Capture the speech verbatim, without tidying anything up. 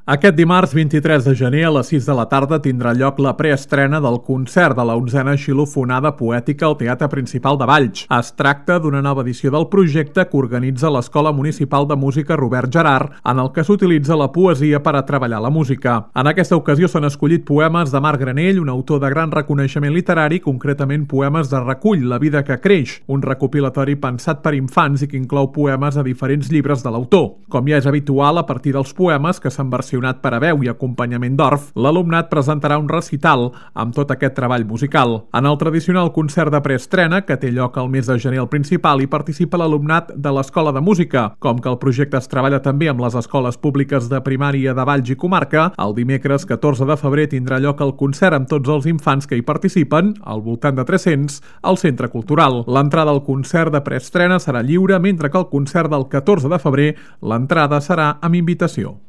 Aquest dimarts vint-i-tres de gener a les sis de la tarda tindrà lloc la preestrena del concert de la onzena xilofonada poètica al Teatre Principal de Valls. Es tracta d'una nova edició del projecte que organitza l'Escola Municipal de Música Robert Gerard, en el que s'utilitza la poesia per a treballar la música. En aquesta ocasió s'han escollit poemes de Marc Granell, un autor de gran reconeixement literari, concretament poemes de recull La vida que creix, un recopilatori pensat per infants i que inclou poemes a diferents llibres de l'autor. Com ja és habitual, a partir dels poemes que s'han versionat per a veu i acompanyament d'orf, l'alumnat presentarà un recital amb tot aquest treball musical. En el tradicional concert de preestrena, que té lloc al mes de gener al Principal, hi participa l'alumnat de l'Escola de Música. Com que el projecte es treballa també amb les escoles públiques de primària de Valls i comarca, el dimecres catorze de febrer tindrà lloc el concert amb tots els infants que hi participen, al voltant de tres-cents, al Centre Cultural. L'entrada al concert de preestrena serà lliure, mentre que el concert del catorze de febrer l'entrada serà amb invitació.